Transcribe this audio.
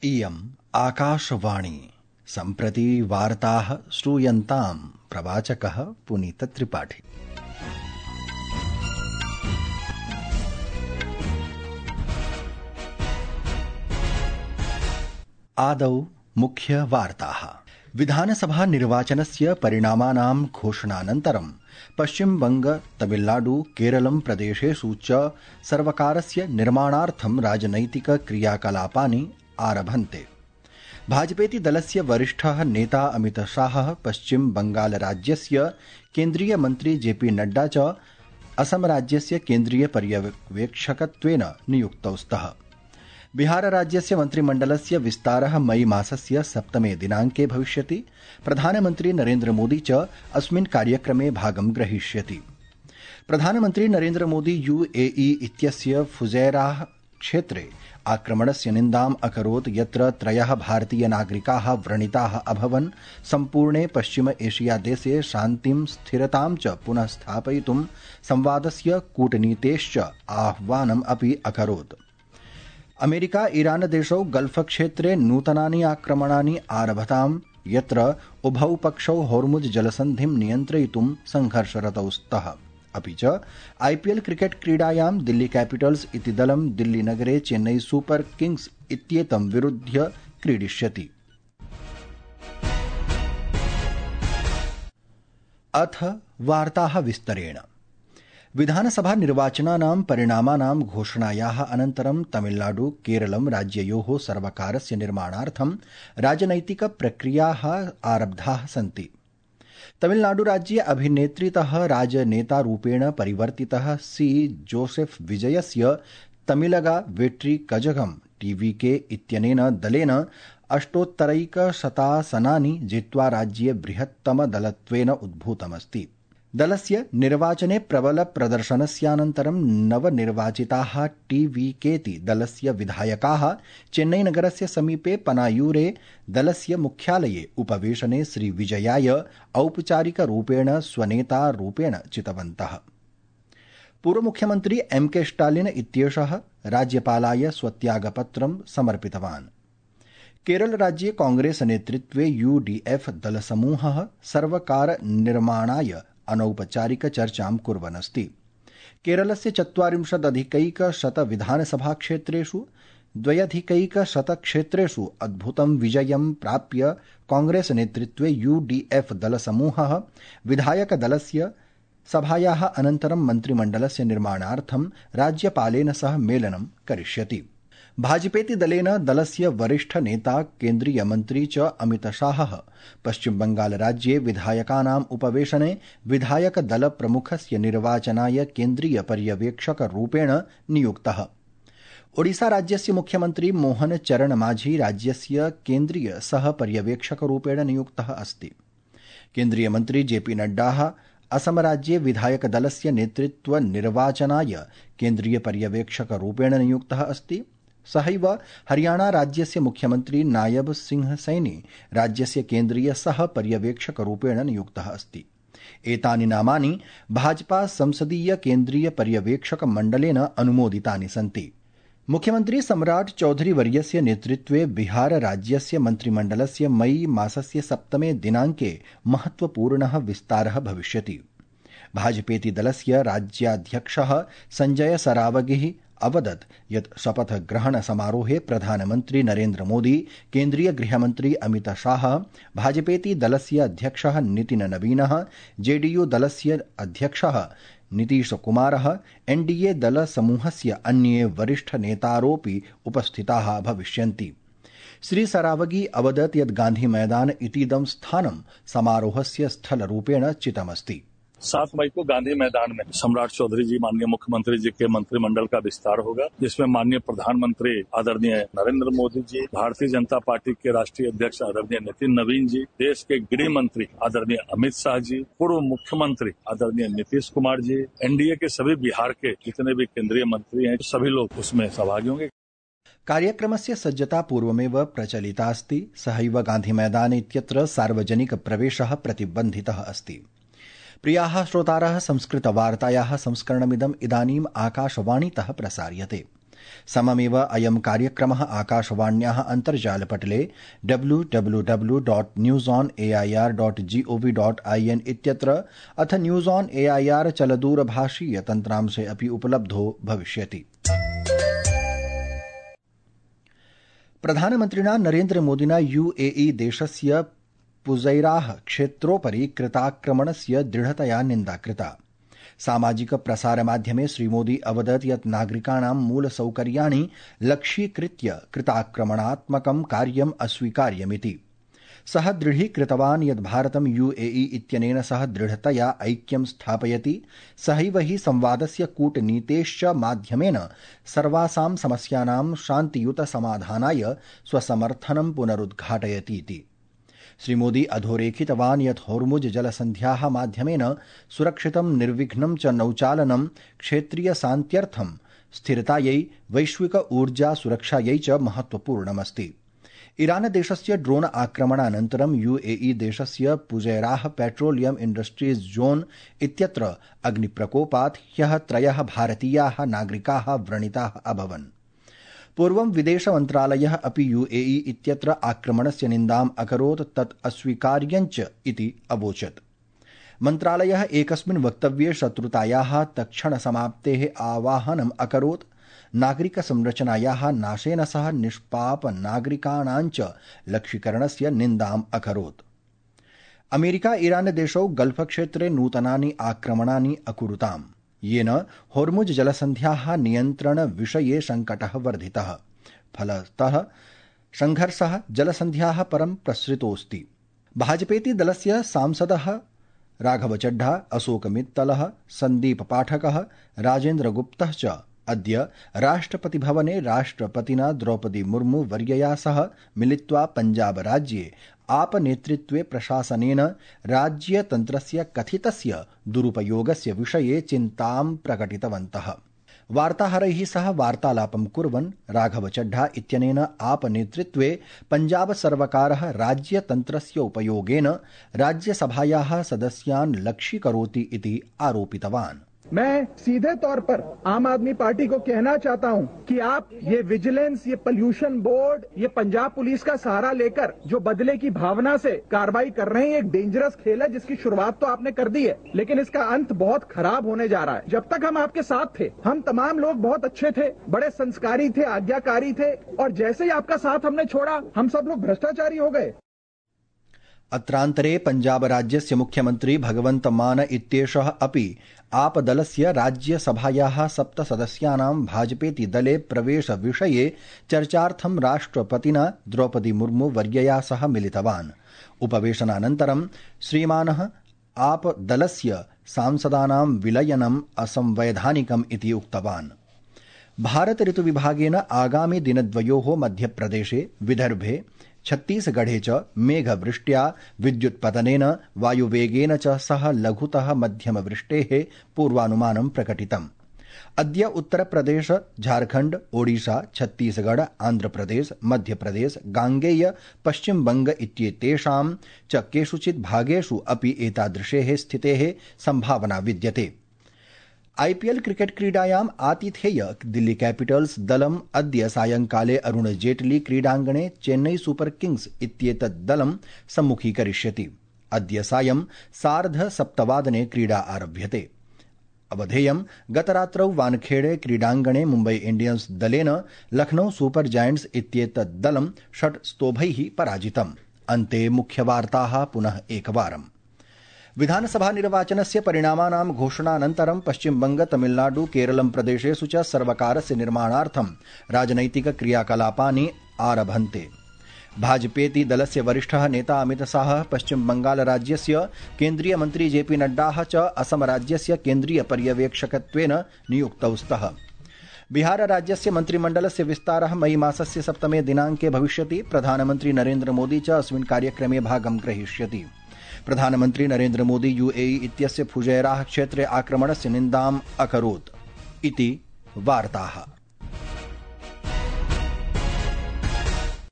इयम् आकाशवाणी। सम्प्रति वार्ताः श्रूयन्ताम्। प्रवाचकः पुनीतत्रिपाठी। आदौ मुख्यवार्ताः। विधानसभा निर्वाचनस्य परिणामानां घोषणानन्तरं पश्चिमबंग, तमिलनाडु, केरलं प्रदेशेषु च सर्वकारस्य निर्माणार्थं राजनैतिक क्रियाकलापानि आरभन्ते। भाजपेति दलस्य वरिष्ठः नेता अमितशाहः पश्चिम बंगाल राज्यस्य केन्द्रीय मन्त्री जेपी नड्डा च असम राज्यस्य केन्द्रीय पर्यवेक्षकत्वेन नियुक्तौ स्तः। बिहार राज्यस्य मन्त्रिमण्डलस्य विस्तारः मई मासस्य 7 दिनाङ्के भविष्यति। प्रधानमन्त्री नरेन्द्र मोदी च अस्मिन् कार्यक्रमे भागं ग्रहीष्यति। प्रधानमन्त्री नरेन्द्र मोदी यूएई इत्यस्य फुजैराह क्षेत्रे आक्रमणस्य निन्दाम् अकरोत्, यत्र 3 भारतीय नागरिकाः व्रणिताः अभवन्। सम्पूर्णे पश्चिम एशिया देशे शान्तिं स्थिरतां च पुनः स्थापयितुं संवादस्य कूटनीतेश्च आह्वानम् अपि अकरोत्। अमेरिका ईरान देशौ गल्फ क्षेत्रे नूतनानि आक्रमणानि आरभताम्, यत्र उभौ पक्षौ होर्मुज जलसन्धिं नियन्त्रयितुं संघर्षरतौ स्तः। अपि च आईपीएल क्रिकेट क्रीडायां दिल्ली कैपिटल्स इति दलं दिल्लीनगरे चेन्नई सुपर किंग्स इत्येतं विरुध्य क्रीडिष्यति। अथ वार्ताः विस्तरेण। विधानसभा निर्वाचनानां परिणामानां घोषणायाः अनन्तरं तमिलनाडु, केरलं राज्ययोः सर्वकारस्य निर्माणार्थं राजनैतिक प्रक्रियाः आरब्धाः सन्ति। तमिलनाडुराज्ये अभिनेत्रीतः राजनेतारूपेण परिवर्तितः सी जोसेफ विजयस्य तमिलगा वेट्री कजगम टीवीके इत्यनेन दलेन 8,100 जित्वा राज्ये बृहत्तमदलत्वेन उद्भूतमस्ति। दलस्य निर्वाचने प्रबल प्रदर्शनस्यानन्तरं नवनिर्वाचिताः टीवीकेति दलस्य विधायकाः चेन्नईनगरस्य समीपे पनायूरे दलस्य मुख्यालये उपवेशने श्रीविजयाय औपचारिकरूपेण स्वनेतारूपेण चितवन्तः। पूर्वमुख्यमन्त्री एमके स्टालिन इत्येषः राज्यपालाय स्वत्यागपत्रं समर्पितवान्। केरलराज्ये कांग्रेस नेतृत्वे यूडीएफ दलसमूहः सर्वकारनिर्माणाय अनौपचारिक चर्चां कुर्वन्नस्ति। केरलस्य 40,100 विधानसभाक्षेत्रेषु 2,100 क्षेत्रेषु अद्भुतं विजयं प्राप्य कांग्रेस नेतृत्वे यूडीएफ दलसमूहः विधायकदलस्य सभायाः अनन्तरं मन्त्रिमण्डलस्य निर्माणार्थं राज्यपालेन सह मेलनं करिष्यति। भाजपेति दलेन दलस्य वरिष्ठ नेता केन्द्रीय मन्त्री च अमितशाहः पश्चिमबंगाल राज्ये विधायकानाम् उपवेशने विधायक दल प्रमुखस्य निर्वाचनाय केन्द्रीय पर्यवेक्षकरूपेण नियुक्तः। ओडिशा राज्यस्य मुख्यमन्त्री मोहन चरण माझी राज्यस्य केन्द्रीय सह पर्यवेक्षकरूपेण नियुक्तः अस्ति। केन्द्रीय मन्त्री जेपी नड्डा असम राज्ये विधायक दलस्य नेतृत्व निर्वाचनाय केन्द्रीय पर्यवेक्षकरूपेण नियुक्तः अस्ति। सहैव हरियाणा राज्यस्य मुख्यमन्त्री नायब सिंह सैनी राज्यस्य केन्द्रीय सह पर्यवेक्षकरूपेण नियुक्तः अस्ति। एतानि नामानि भाजपा संसदीय केन्द्रीय पर्यवेक्षक मण्डलेन अनुमोदितानि सन्ति। मुख्यमन्त्री सम्राट चौधरी वर्यस्य नेतृत्वे बिहार राज्यस्य मन्त्रिमण्डलस्य मई मासस्य 7 दिनाङ्के महत्वपूर्णः विस्तारः भविष्यति। भाजपेति दलस्य राज्याध्यक्षः संजय सरावगिः अवदत् यत् शपथग्रहण समारोहे प्रधानमन्त्री नरेन्द्र मोदी, केन्द्रीय गृहमन्त्री अमित शाह, भाजपेति दलस्य अध्यक्षः नितिन नवीनः, जेडीयू दलस्य अध्यक्षः नीतीश कुमारः, एनडीए दलसमूहस्य अन्ये वरिष्ठ नेतारोऽपि उपस्थिताः भविष्यन्ति। श्री सरावगी अवदत् यत् गांधी मैदान इतीदं स्थानं समारोहस्य स्थलरूपेण चितमस्ति। 7 मई को गांधी मैदान में सम्राट चौधरी जी, माननीय मुख्यमंत्री जी के मंत्रिमंडल का विस्तार होगा, जिसमें माननीय प्रधानमंत्री आदरणीय नरेंद्र मोदी जी, भारतीय जनता पार्टी के राष्ट्रीय अध्यक्ष आदरणीय नितिन नवीन जी, देश के गृह मंत्री आदरणीय अमित शाह जी, पूर्व मुख्यमंत्री आदरणीय नीतीश कुमार जी, एनडीए के सभी बिहार के जितने भी केंद्रीय मंत्री हैं, सभी लोग उसमें सहभागी होंगे। कार्यक्रमस्य सज्जता पूर्वमेव प्रचलिता अस्ति। सहैव गान्धीमैदान इत्यत्र सार्वजनिक प्रवेशः प्रतिबन्धितः अस्ति। प्रियाः श्रोतारः, संस्कृतवार्तायाः संस्करणमिदम् इदानीम् आकाशवाणीतः प्रसार्यते। सममेव अयं कार्यक्रमः आकाशवाण्याः अन्तर्जालपटले www.newsonair.gov.in इत्यत्र अथ न्यूज ऑन एआईआर चलदूरभाषीय तन्त्रांशे अपि उपलब्धो भविष्यति। प्रधानमन्त्रिणा नरेन्द्रमोदिना यूएई देशस्य पुज़ैराह क्षेत्रोपरि कृताक्रमणस्य दृढतया निन्दा कृता। सामाजिक प्रसारमाध्यमे श्रीमोदी अवदत् यत् नागरिकाणां मूलसौकर्याणि लक्ष्यीकृत्य कृताक्रमणात्मकं कार्यम् अस्वीकार्यमिति। सः दृढीकृतवान् यत् भारतं यूएई इत्यनेन सह दृढतया ऐक्यं स्थापयति, सहैव हि संवादस्य कूटनीतेश्च माध्यमेन सर्वासां समस्यानां शान्तियुत समाधानाय स्वसमर्थनं पुनरुद्घाटयति इति। श्रीमोदी अधोरेखितवान् यत् होर्मुज जलसन्ध्याः माध्यमेन सुरक्षितं निर्विघ्नं च नौचालनं क्षेत्रीयशान्त्यर्थं स्थिरतायै वैश्विक ऊर्जा सुरक्षायै च महत्वपूर्णमस्ति। ईरान देशस्य ड्रोन आक्रमणानन्तरं यूएई देशस्य पुज़ैराह पेट्रोलियम इंडस्ट्रीज जोन इत्यत्र अग्निप्रकोपात् ह्यः 3 भारतीयाः नागरिकाः व्रणिताः अभवन्। पूर्वं विदेश मन्त्रालयः अपि यूएई इत्यत्र आक्रमणस्य निन्दाम् अकरोत्, तत् अस्वीकार्यञ्च इति अवोचत्। मन्त्रालयः एकस्मिन् वक्तव्ये शत्रुतायाः तत्क्षणसमाप्तेः आवाहनम् अकरोत्, नागरिकसंरचनायाः नाशेन सह निष्पाप नागरिकाणाञ्च लक्ष्यीकरणस्य निन्दाम् अकरोत्। अमेरिका ईरान देशौ गल्फ क्षेत्रे नूतनानि आक्रमणानि अकुरुताम्, येन होर्मुज जलसन्ध्याः नियन्त्रण विषये संकटः वर्धितः। फलतः संघर्षः जलसन्ध्याः परं प्रसृतोऽस्ति। भाजपेति दलस्य सांसदः राघव चड्ढा, अशोक मित्तलः, सन्दीप पाठकः, राजेन्द्र गुप्तः च अद्य राष्ट्रपतिभवने राष्ट्रपतिना द्रौपदी मुर्मू वर्यया सह मिलित्वा पञ्जाब राज्ये आप नेतृत्वे प्रशासनेन राज्यतन्त्रस्य कथितस्य दुरुपयोगस्य विषये चिन्तां प्रकटितवन्तः। वार्ताहरैः सह वार्तालापं कुर्वन् राघव चड्ढा इत्यनेन आप नेतृत्वे पञ्जाब सर्वकारः राज्यतन्त्रस्य उपयोगेन राज्यसभायाः सदस्यान् लक्ष्यीकरोति इति आरोपितवान्। मैं सीधे तौर पर आम आदमी पार्टी को कहना चाहता हूं कि आप ये विजिलेंस, ये पोल्यूशन बोर्ड, ये पंजाब पुलिस का सहारा लेकर जो बदले की भावना से कार्रवाई कर रहे हैं, एक डेंजरस खेल है जिसकी शुरुआत तो आपने कर दी है, लेकिन इसका अंत बहुत खराब होने जा रहा है। जब तक हम आपके साथ थे, हम तमाम लोग बहुत अच्छे थे, बड़े संस्कारी थे, आज्ञाकारी थे, और जैसे ही आपका साथ हमने छोड़ा, हम सब लोग भ्रष्टाचारी हो गए। अत्रान्तरे पञ्जाब राज्यस्य मुख्यमन्त्री भगवन्त मान इत्येषः अपि आपदलस्य राज्यसभायाः 7 सदस्यानां भाजपेति दले प्रवेशविषये चर्चार्थं राष्ट्रपतिना द्रौपदी मुर्मू वर्यया सह मिलितवान्। उपवेशनानन्तरं श्रीमानः आपदलस्य सांसदानां विलयनम् असंवैधानिकम् इति उक्तवान्। भारत ऋतुविभागेन आगामि दिनद्वयोः मध्यप्रदेशे, विदर्भे, छत्तीसगढ़े च मेघवृष्ट्या, विद्युत्पतनेन, वायुवेगेन च सह लघुतः मध्यमवृष्टेः पूर्वानुमानं प्रकटितम्। अद्य उत्तरप्रदेश, झारखण्ड, ओडिशा, छत्तीसगढ़, आन्ध्रप्रदेश, मध्यप्रदेश, गांगेय, पश्चिमबंग इत्येतेषां च केषुचित् भागेषु अपि एतादृशेः स्थितेः सम्भावना विद्यते। आईपीएल क्रिकेट क्रीडायाम् आतिथेय दिल्ली कैपिटल्स दलम् अद्य सायंकाले अरुण जेटली क्रीडाङ्गणे चेन्नई सुपर किंग्स इत्येतत् दलं सम्मुखीकरिष्यति। अद्य सायं 7:30 क्रीडा आरभ्यते। अवधेयं गतरात्रौ वानखेड़े क्रीडाङ्गणे मुम्बई इंडियन्स दलेन लखनऊ सुपर जायंट्स इत्येतत् दलं 6 स्तोभैः पराजितम्। अन्ते मुख्यवार्ताः पुनः एकवारम्। विधानसभा निर्वाचनस्य परिणामानां घोषणानन्तरं पश्चिमबंग, तमिलनाडु, केरलं प्रदेशेषु च सर्वकारस्य निर्माणार्थं राजनैतिक क्रियाकलापानि आरभन्ते। भाजपेति दलस्य वरिष्ठः नेता अमित शाहः पश्चिमबंगाल राज्यस्य केन्द्रीय मन्त्री जेपी नड्डाः च असम राज्यस्य केन्द्रीय पर्यवेक्षकत्वेन नियुक्तौ स्तः। बिहार राज्यस्य मन्त्रिमण्डलस्य विस्तारः मई मासस्य 7 दिनाङ्के भविष्यति। प्रधानमन्त्री नरेन्द्र मोदी च अस्मिन् कार्यक्रमे भागं ग्रहीष्यति। प्रधानमन्त्री नरेन्द्र मोदी यूएई इत्यस्य फुजैराह क्षेत्रे आक्रमणस्य निन्दाम् अकरोत् इति वार्ताः।